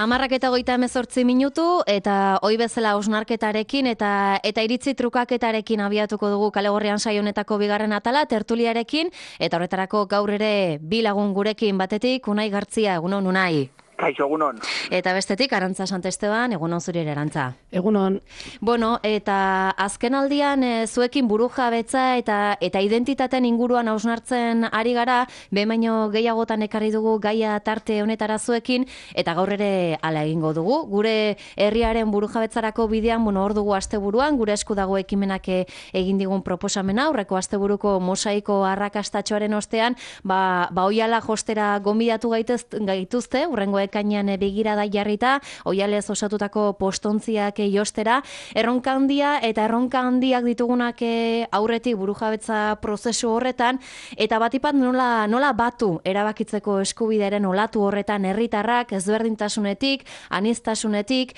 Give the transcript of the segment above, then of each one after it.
10:38 eta hoi bezala hausnarketarekin eta iritzi trukaketarekin abiatuko dugu Kalegorrian saio honetako bigarren atala tertuliarekin eta horretarako gaur ere bi lagun gurekin batetik Unai Gartzia, egunon Unai. Kaixo, egunon. Eta bestetik Arantza Santesteban, egunon zuri ere Arantza. Egunon. Bueno, eta azken aldian zuekin burujabetza eta identitateen inguruan hausnartzen ari gara, behin baino gehiagotan ekarri dugu gaia tarte honetara zuekin, eta gaur ere hala egingo dugu. Gure herriaren burujabetzarako bidean, hor dugu asteburuan, gure esku dago ekimenak egin digun proposamena, aurreko asteburuko mosaiko arrakastatxoaren ostean, oiala jostera gonbidatu gaituzte, hurrengo ekainean begirada jarrita, oialez osatutako postontziak jostera, erronka handiak ditugunak aurretik burujabetza prozesu horretan, eta batipat nola batu erabakitzeko eskubidearen olatu horretan herritarrak ezberdintasunetik, aniztasunetik,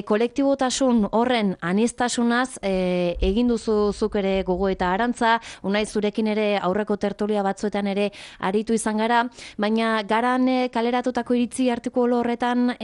kolektibotasun horren aniztasunaz egin duzu zuk ere gogo eta Arantza, Unai zurekin ere aurreko tertulia batzuetan ere aritu izan gara, baina garan kaleratutako iritzi artikulu horretan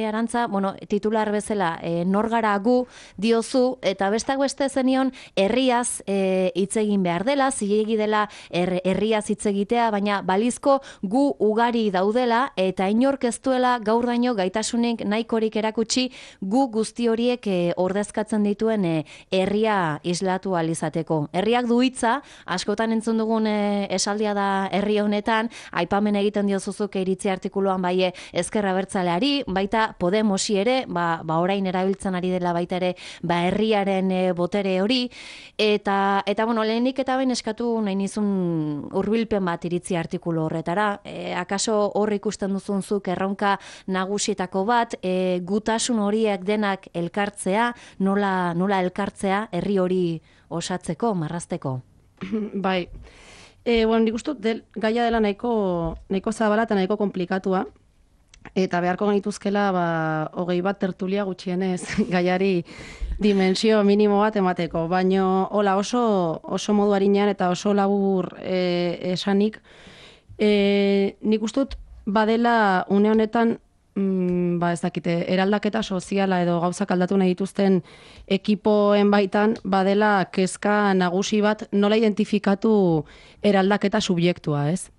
Arantza, titular bezala nor gara gu diozu, eta bestak beste zenion herriaz hitz egin behar dela, zilegi dela herriaz hitz egitea, baina balizko gu ugari daudela eta inork ez duela gaur daino gaitasunik nahikorik erakutsi gu guzti horiek ordezkatzen dituen herria islatu ahal izateko. Herriak du hitza, askotan entzun dugun esaldia da herri honetan, aipamen egiten diozuzuk iritzi artikuluan bai ezker abertzaleari, baita Podemosi ere, orain erabiltzen ari dela baita ere, herriaren botere hori, eta lehenik eta behin eskatu nahi nizun hurbilpen bat iritzi artikulu horretara, akaso hor ikusten duzunzuk erronka nagusietako bat, gutasun horiek denak elkartzea, nola elkartzea herri hori osatzeko, marrazteko? Bai, nik uste gaia dela nahiko zabala eta nahiko komplikatua, eta beharko genituzkela 20 bat tertulia gutxienez gaiari dimensio minimo bat emateko, baino hola oso modu arinean eta oso labur esanik, nik uste dut badela une honetan ez dakite, eraldaketa soziala edo gauzak aldatu nahi dituzten ekipoen baitan badela kezka nagusi bat nola identifikatu eraldaketa subjektua, ez?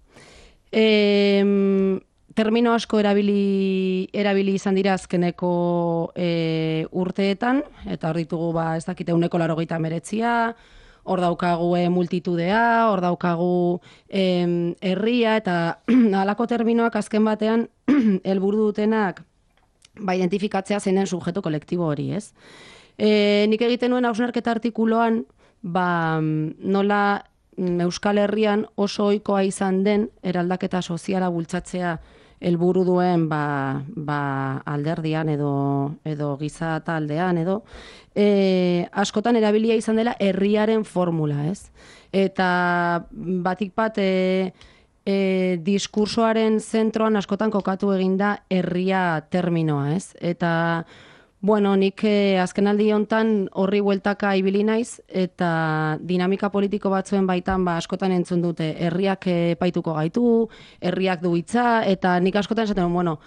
Termino asko erabili izan dira azkeneko urteetan, eta hor ditugu ez dakite 189, hor daukagu multitudea, hor daukagu herria, eta halako terminoak azken batean helburu dutenak identifikatzea zein den subjektu kolektibo hori, ez? Nik egiten nuen hausnarketa artikuloan, nola Euskal Herrian oso ohikoa izan den eraldaketa soziala bultzatzea helburu duen alderdian edo giza taldean edo askotan erabilia izan dela herriaren formula, ez? Eta batik bat diskursoaren zentroan askotan kokatu eginda herria terminoa, ez? Eta nik azkenaldi hontan horri bueltaka ibili naiz eta dinamika politiko batzuen baitan askotan entzun dute herriak epaituko gaitu, herriak du hitza, eta nik askotan esaten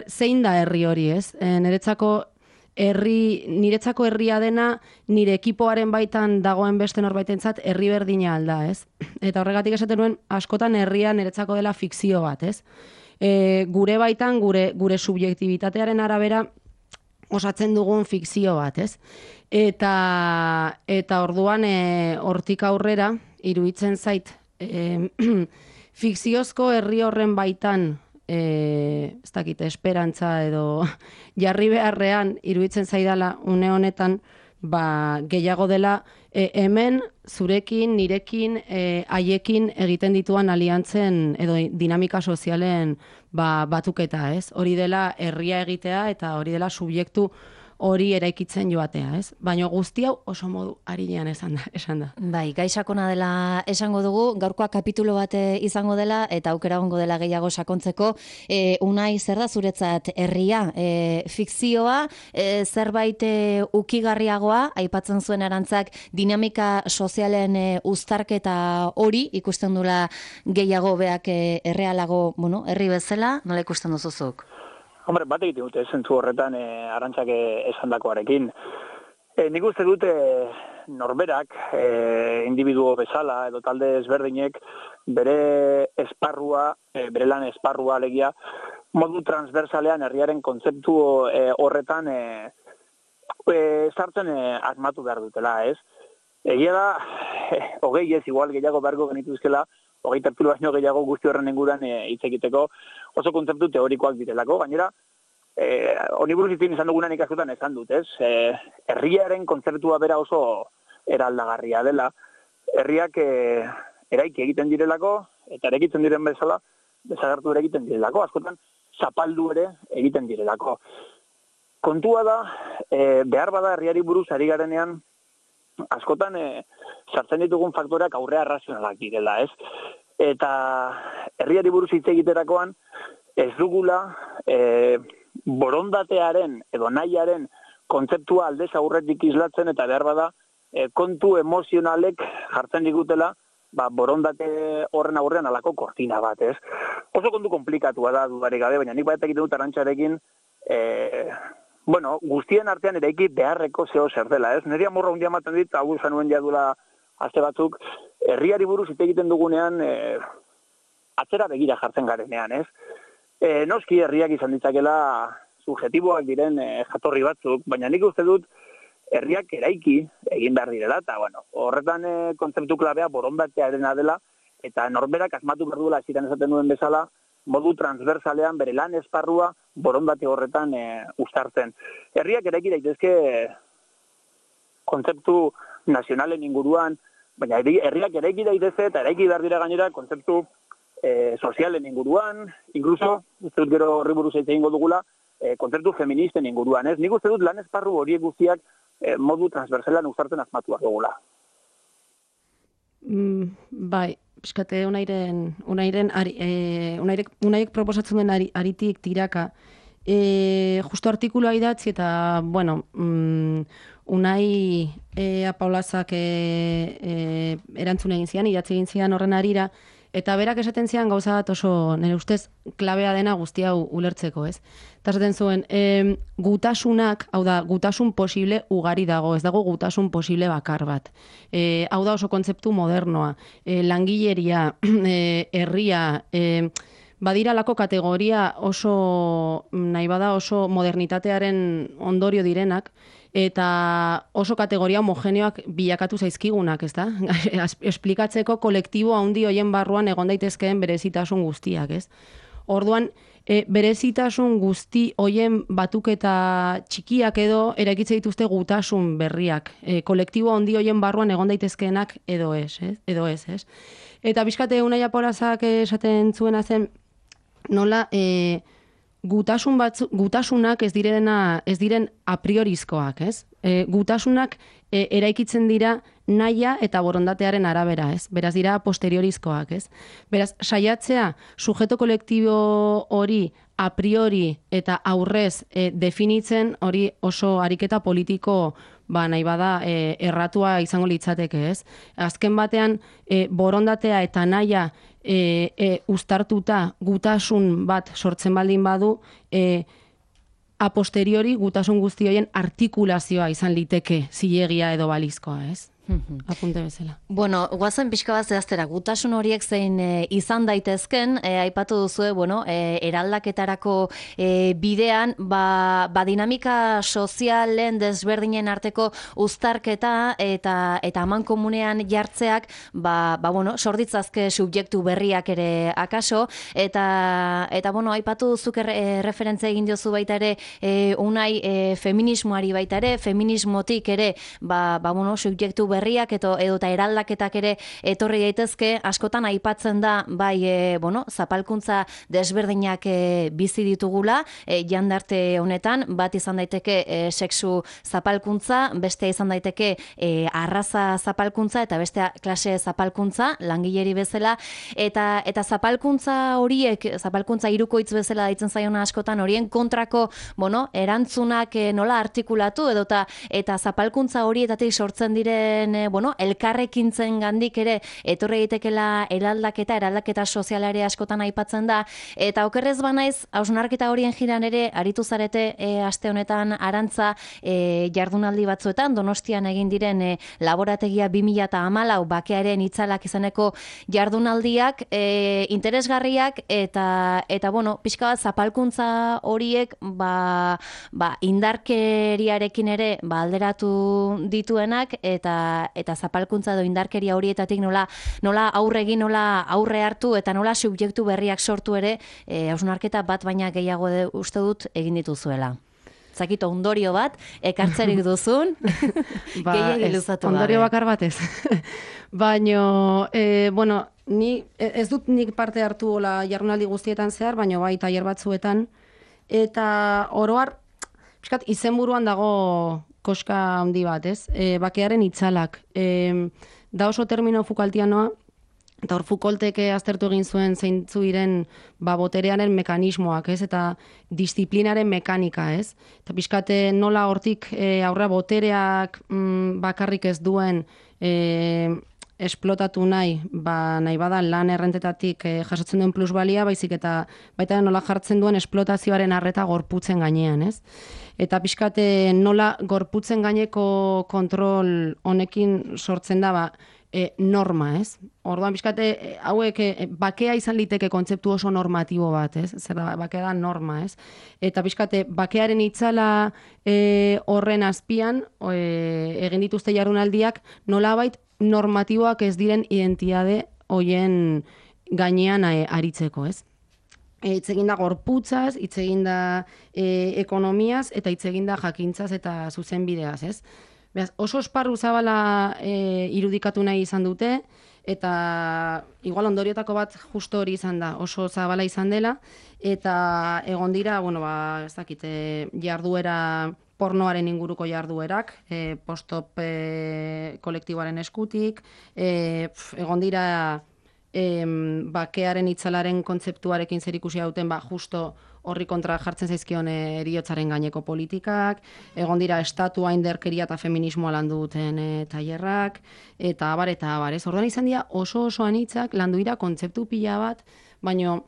zein da herri hori, ez? Niretzako herria dena nire ekipoaren baitan dagoen beste norbaitentzat herri berdina alda, ez? Eta horregatik esaten nuen askotan herria niretzako dela fikzio bat, ez? Gure baitan, gure subjektibitatearen arabera osatzen dugun fikzio bat, ez? Eta orduan hortik aurrera iruditzen zait fikziozko herri horren baitan ez dakit, esperantza edo jarri beharrean iruditzen zaidala une honetan gehiago dela hemen zurekin, nirekin, haiekin egiten dituan aliantzen edo dinamika sozialen batuketa, ez? Hori dela herria egitea eta hori dela subjektu hori eraikitzen joatea, ez? Baina guzti hau oso modu arinean esan da. Bai, gai sakona dela esango dugu, gaurkoa kapitulo bat izango dela eta aukera egongo dela gehiago sakontzeko. Unai, zer da zuretzat herria? Fikzioa, zerbait ukigarriagoa, aipatzen zuen Arantzak dinamika sozialen uztarketa hori, ikusten dula gehiago beak errealago, herri bezala, nola ikusten duzuzuk? Hombre, bat egiten dute, zentzu horretan Arantxak esandakoarekin. Nik uste dute norberak, individuo bezala edo talde ezberdinek bere esparrua, bere lan esparrua alegia, modu transversalean herriaren kontzeptu horretan sartzen asmatu behar dutela, ez? Egia da, hogei ez igual gehiago beharko genituzkela, hogei tertulo baino gehiago guzti horren inguruan hitz egiteko oso kontzeptu teorikoak direlako, gainera, honi buruz izan dugunan ikaskotan esan dut, ez? Herriaren kontzeptua bera oso eraldagarria dela, herriak eraiki egiten direlako, eta eraikitzen diren bezala, desagertu ere egiten direlako, askotan zapaldu ere egiten direlako. Kontua da, behar bada herriari buruz ari garenean, askotan sartzen ditugun faktoreak aurrea razionalak direla, ez? Eta herriari buruz hitz egiterakoan, ez dugula borondatearen edo nahiaren kontzeptua aldez aurretik islatzen eta behar bada kontu emozionalek jartzen digutela borondate horren aurrean alako kortina bat, ez? Oso kontu komplikatua da dudarik gabe, baina nik bat egiten dut Arantxarekin guztien artean eraiki beharreko zeo zer dela, ez? Neri amorra hundia ematen dit, hau zanuen jadula aste batzuk, herriari buruz hitz egiten dugunean atzera begira jartzen garenean, ez? Noski herriak izan ditzakela subjetiboak diren jatorri batzuk, baina nik uste dut herriak eraiki egin behar direla, eta horretan kontzeptu klabea borondatearena dela, eta norberak asmatu behar duela ziren esaten duen bezala, modu transversalean bere lan esparrua borondate horretan uztartzen. Herriak eraiki daitezke kontzeptu nazionalen inguruan, baina herriak eraiki daitezke eta eraiki behar dira gainera kontzeptu sozialen inguruan, incluso, uste dut gero horri buruz egingo dugula, kontzeptu feministen inguruan, ez? Nik uste dut lan esparru horiek guztiak modu transversalan uztartzen asmatuak dugula. Bai, pixkate unaiek proposatzen den aritik tiraka, justo artikulua idatzi eta, Unai Apaolazak erantzun egin zian, idatzi egin zian horren arira, eta berak esaten zian gauza bat oso, nire ustez, klabea dena guzti hau ulertzeko, ez? Eta esaten zuen, gutasunak, hau da, gutasun posible ugari dago, ez dago gutasun posible bakar bat. Hau da oso kontzeptu modernoa, langileria, herria, badiralako kategoria oso, nahi bada oso modernitatearen ondorio direnak, eta oso kategoria homogeneoak bilakatu zaizkigunak, ez da? Esplikatzeko kolektibo handi hoien barruan egon daitezkeen berezitasun guztiak, ez? Orduan, berezitasun guzti hoien batuketa txikiak edo eraikitze dituzte gutasun berriak. Kolektibo handi hoien barruan egon daitezkeenak edo ez, ez? Eta bizkate Unai Apaolazak esaten zuena zen, nola gutasunak ez diren a priorizkoak, ez? Gutasunak eraikitzen dira nahia eta borondatearen arabera, ez? Beraz dira posteriorizkoak, ez? Beraz, saiatzea sujeto kolektibo hori a priori eta aurrez definitzen hori oso ariketa politiko nahi bada erratua izango litzateke, ez? Azken batean borondatea eta nahia uztartuta gutasun bat sortzen baldin badu, a posteriori gutasun guzti horien artikulazioa izan liteke zilegia edo balizkoa, ez? Apunte bezala. Bueno, guazen pixka bat zehaztera, gutasun horiek zein izan daitezken, aipatu duzue, eraldaketarako bidean, dinamika sozialen desberdinen arteko uztarketa eta aman komunean jartzeak, sorditzazke subjektu berriak ere akaso, eta aipatu duzuk referentzia egin diozu baita ere, Unai feminismoari baita ere, feminismotik ere, subjektu berriak eta eraldaketak ere etorri daitezke, askotan aipatzen da zapalkuntza desberdinak bizi ditugula jandarte honetan, bat izan daiteke sexu zapalkuntza, beste izan daiteke arraza zapalkuntza eta beste klase zapalkuntza langileri bezala, eta zapalkuntza horiek, zapalkuntza hirukoitz bezala deitzen zaiona askotan, horien kontrako erantzunak nola artikulatu eta zapalkuntza horietatik sortzen diren diren, elkarrekintzen gandik ere, etorri eitekela eraldaketa sozialare askotan aipatzen da, eta okerrez banaiz, hausnarketa horien jiran ere, aritu zarete aste honetan Arantza jardunaldi batzuetan, Donostian egin diren laborategia 2014 bakearen itzalak izaneko jardunaldiak interesgarriak eta pixka bat zapalkuntza horiek indarkeriarekin ere alderatu dituenak eta zapalkuntza edo indarkeria horietatik nola aurre egin, nola aurre hartu eta nola subjektu berriak sortu ere hausnarketa bat baina gehiago uste dut egin dituzuela. Zakito ondorio bat, ekartzerik duzun, gehiagin luzatu gabe. Ondorio bakar batez. Baina, ez dut nik parte hartu jardunaldi guztietan zehar, baina bai tailer batzuetan, eta oroar, izenburuan dago koska handi bat, ez? Bakearen itzalak. Da oso termino Foucaultianoa, eta hor Foucaultek aztertu egin zuen zeintzu diren boterearen mekanismoak, ez? Eta disiplinaren mekanika, ez? Eta pixkate nola hortik aurra botereak bakarrik ez duen esplotatu nahi bada lan errentetatik jasotzen duen plusbalia, baizik eta baita nola jartzen duen esplotazioaren arreta gorputzen gainean, ez? Eta pixkate nola gorputzen gaineko kontrol honekin sortzen da norma, ez? Orduan pixkate hauek bakea izan liteke kontzeptu oso normatibo bat, ez? Zer da, bakea da norma, ez? Eta pixkate bakearen itzala horren azpian egin dituzte jardunaldiak nolabait normatiboak ez diren identitate hoien gainean aritzeko, ez? Hitz egin da gorputzaz, hitz egin da ekonomiaz eta hitz egin da jakintzaz eta zuzenbideaz, ez? Beraz, oso esparru zabala irudikatu nahi izan dute, eta igual ondoriotako bat justo hori izan da, oso zabala izan dela, eta egon dira, ez dakit, jarduera pornoaren inguruko jarduerak, postop kolektiboaren eskutik, egon dira bakearen itzalaren kontzeptuarekin zerikusia duten, justo horri kontra jartzen zaizkion heriotzaren gaineko politikak, egon dira estatua indarkeria eta feminismoa landu duten tailerrak, eta abar, ez? Orduan izan dira oso anitzak landu dira kontzeptu pila bat, baina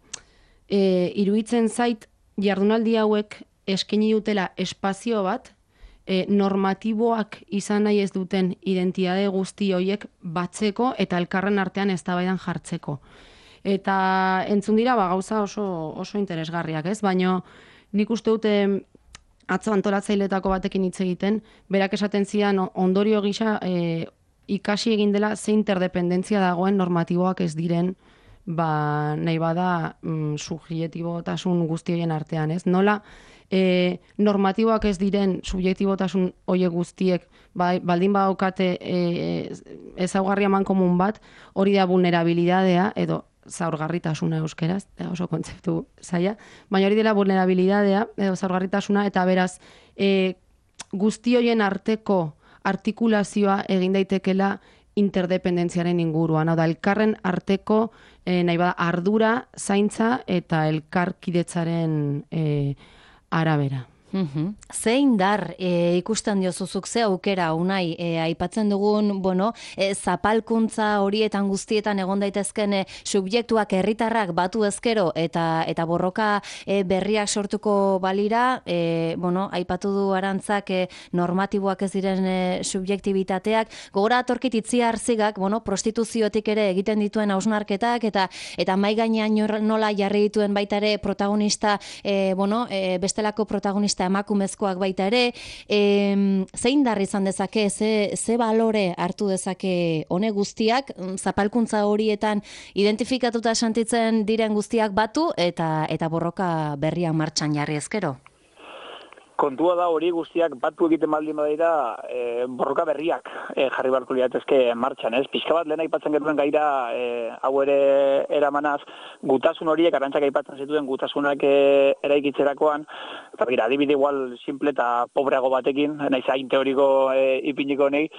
iruditzen zait jardunaldi hauek eskaini dutela espazio bat, normatiboak izan nahi ez duten identitate guzti horiek batzeko eta elkarren artean eztabaidan jartzeko. Eta entzun dira gauza oso interesgarriak, ez? Baina nik uste dute atzo antolatzailetako batekin hitz egiten, berak esaten zidan ondorio gisa ikasi egin dela ze interdependentzia dagoen normatiboak ez diren nahi bada subjektibotasun guzti horien artean, ez? Nola normatiboak ez diren subjektibotasun horiek guztiek baldin badaukate ezaugarri amankomun bat, hori da vulnerabilidadea edo zaurgarritasuna euskeraz, oso kontzeptu zaila, baina hori dela vulnerabilidadea edo zaurgarritasuna, eta beraz guzti horien arteko artikulazioa egin daitekela interdependentziaren inguruan, hau da, elkarren arteko nahi bada ardura, zaintza eta elkarkidetzaren arabera. Ze indar ikusten diozuzuk, ze aukera unai aipatzen dugun, zapalkuntza horietan guztietan egon daitezken subjektuak herritarrak batu ezkero eta borroka berriak sortuko balira, aipatu du Arantzak normatiboak ez diren subjektibitateak, gogora atorkit Itziar Zigak, prostituziotik ere egiten dituen hausnarketak eta mai gainean nola jarri dituen baita ere protagonista, bestelako protagonista emakumezkoak baita ere, zein dar izan dezake, ze balore hartu dezake honek guztiak, zapalkuntza horietan identifikatuta sentitzen diren guztiak batu eta borroka berriak martxan jarri ezkero? Kontua da hori guztiak batu egiten baldin badira borroka berriak jarri beharko liratezke martxan, ez? Pixka bat lehen aipatzen genuen gaira hau ere eramanaz, gutasun horiek, Arantzak aipatzen zituen gutasunak eraikitzerakoan, eta bera, adibide igual simple eta pobreago batekin, naiz hain teoriko ipiniko honei,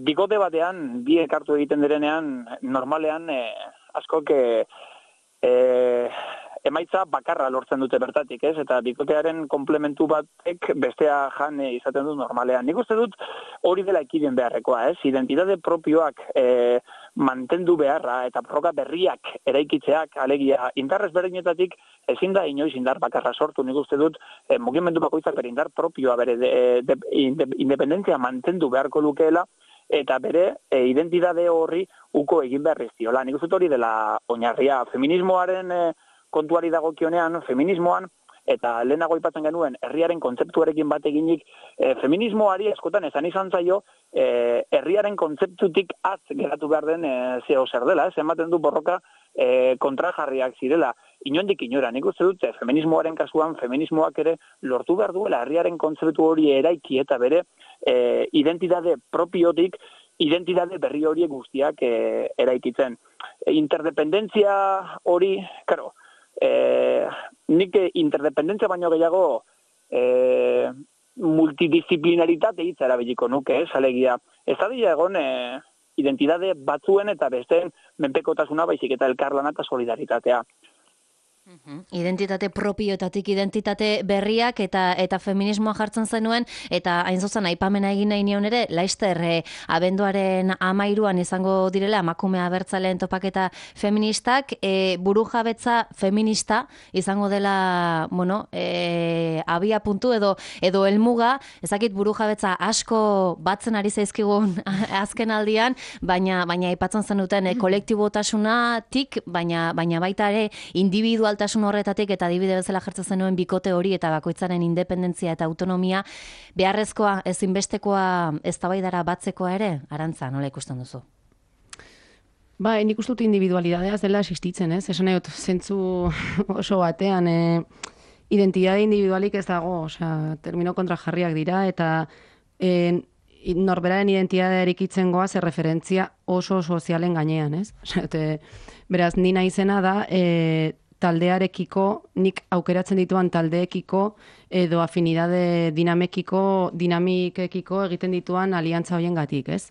bikote batean, biek hartu egiten direnean, normalean askok emaitza bakarra lortzen dute bertatik, ez? Eta bikotearen komplementu batek bestea jan izaten du normalean. Nik uste dut hori dela ekiden beharrekoa, ez? Identitate propioak mantendu beharra eta proga berriak eraikitzeak, alegia indarrez berdinetatik ezin da inoiz indar bakarra sortu. Nik uste dut mugimendu bakoitzak bere indar propioa, bere independentzia mantendu beharko lukeela, eta bere identitate horri uko egin behar dizkiola. Nik uste hori dela oinarria. Feminismoaren kontuari dagokionean, feminismoan, eta lehenago aipatzen genuen herriaren kontzeptuarekin bat eginik, feminismoari askotan esan izan zaio, herriaren kontzeptutik az geratu behar den zeo zer dela, ez ematen du borroka kontrajarriak zirela. Inondik inora, nik uste dut, feminismoaren kasuan, feminismoak ere lortu behar duela herriaren kontzeptu hori eraiki eta bere identitate propiotik, identitate berri horiek guztiak eraikitzen. Interdependentzia hori, karo, nik interdependentzia baino gehiago multidisciplinaritate hitza erabiliko nuke, alegia. Ez da egon identitate batzuen eta besteen menpekotasuna baizik eta elkarlana eta solidaritatea. Identitate propioetatik identitate berriak eta feminismoa jartzen zenuen, eta hain zuzen aipamena egin nahi nion ere, Laister abenduaren 13an izango direla emakume abertzaleen topaketa feministak, burujabetza feminista izango dela, bueno, abia puntu edo helmuga, ezakit burujabetza asko batzen ari zaizkigun azken aldian, baina aipatzen zenuten kolektibotasunatik, baina baita ere individualtasun horretatik, eta adibide bezala jartzen zenuen bikote hori eta bakoitzaren independentzia eta autonomia beharrezkoa, ezinbestekoa eztabaidara batzekoa ere, Arantza, nola ikusten duzu? Ba, nik uste dut individualidadea dela existitzen, ez? Esan nahi dut, zentzu oso batean, identitate individualik ez dago, osea, termino kontrajarriak dira, eta norberaren identitatea erikitzen goaz referentzia oso sozialen gainean, ez? Osea, beraz, ni naizena da, taldearekiko, nik aukeratzen dituan taldeekiko, edo afinidade dinamikekiko egiten dituan aliantza hoien gatik, ez?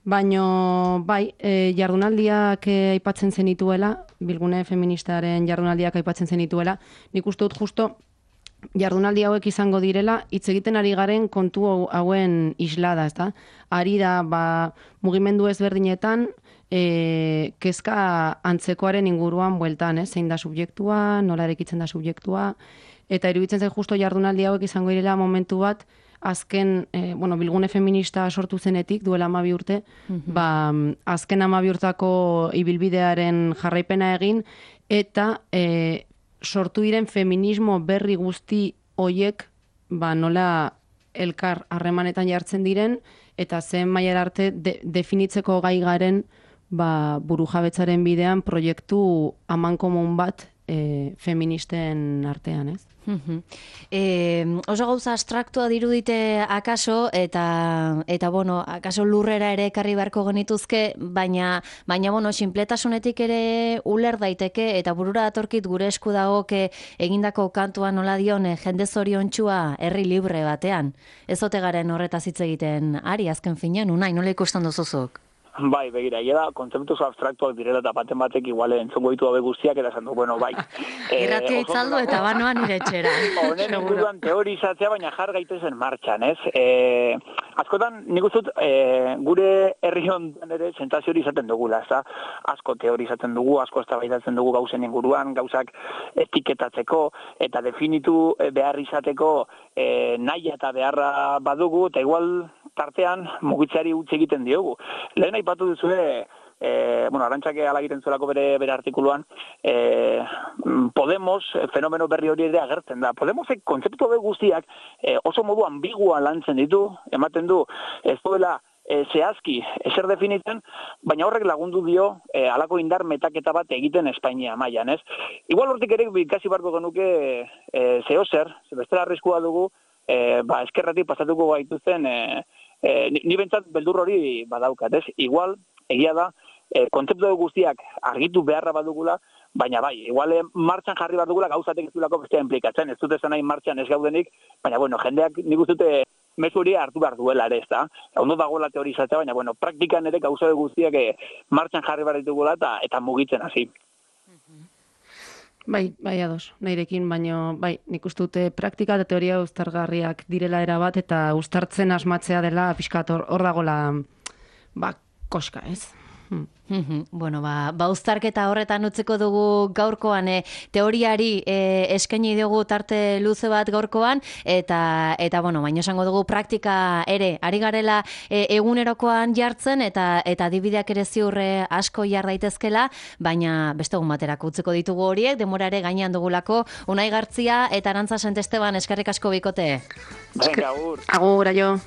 Baina, bai, jardunaldiak aipatzen zenituela, Bilgune Feministaren jardunaldiak aipatzen zenituela, nik uste dut justo jardunaldi hauek izango direla, hitz egiten ari garen kontu hauen islada, ez da? Ari da, mugimendu ezberdinetan, kezka antzekoaren inguruan bueltan, zein da subjektua, nola erekitzen da subjektua, eta iruditzen zen justo jardunaldi hauek izango direla momentu bat, azken, Bilgune Feminista sortu zenetik, duela 12 urte, azken 12 urtako ibilbidearen jarraipena egin, eta sortu diren feminismo berri guzti hoiek, nola elkar harremanetan jartzen diren, eta zen mailara arte definitzeko gai garen burujabetzaren bidean proiektu amankomun bat feministen artean, ez? Oso gauza abstraktua dirudite akaso, eta akaso lurrera ere ekarri beharko genituzke, baina sinpletasunetik ere uler daiteke, eta burura datorkit gure esku dagok egindako kantua nola dion jende zoriontsua herri libre batean. Ez ote garen horretaz hitz egiten ari azken finean, unai, nola ikusten duzuzuk? Bai, begira, da kontzeptu abstraktuak direla eta batek igual entzongo ditu habe guztiak, eta esan du, bueno, bai. Irratia itzaldu eta banoan nire etxera. Honen inguruan teorizatzea, baina jar gaitezen martxan, ez? Askotan, nik uste dut, gure herri honetan ere sentsazio hori izaten dugula, ez da? Asko teorizatzen dugu, asko eztabaidatzen dugu gauzen inguruan, gauzak etiketatzeko, eta definitu behar izateko nahi eta beharra badugu, eta igual tartean mugitzeari utzi egiten diogu. Lehen aipatu duzue, Arantzake ala egiten zuelako bere artikuluan, Podemos fenomeno berri hori ere agertzen da. Podemosek kontzeptu guztiak oso modu ambigua lantzen ditu, ematen du, ez duela zehazki ezer definitzen, baina horrek lagundu dio halako indar metaketa bat egiten Espainia mailan, ez? Igual hortik ere ikasi barko genuke zeozer, bestela arriskua dugu, eskerratik pasatuko gaituzten, ni bentsat beldur hori badaukat, ez? Igual, egia da, kontzeptu guztiak argitu beharra badugula, baina bai, igual martxan jarri behar dugula gauzatek ez duelako bestea implikatzen, ez dut esan nahi martxan ez gaudenik, baina jendeak nik uste dute mezu hori hartu behar duela ere, ez da? Ondo dagoela teorizatzea, baina praktikan ere gauzatek guztiak martxan jarri behar ditugula eta mugitzen hasi. Bai, ados, nahirekin, baino, nik uste dute praktika eta teoria uztargarriak direla erabat, eta uztartzen asmatzea dela pixkat hor dagola, koska, ez? Bueno, uztarketa horretan utziko dugu gaurkoan, teoriari eskaini dugu tarte luze bat gaurkoan, eta bueno, baino esango dugu praktika ere, ari garela egunerokoan jartzen, eta adibideak ere ziurre asko jar daitezkela, baina beste egun baterako utziko ditugu horiek, denbora ere gainean dugulako. Unai Gartzia eta Arantza Santesteban, eskerrik asko bikote. Venga, agur. Agur, aio.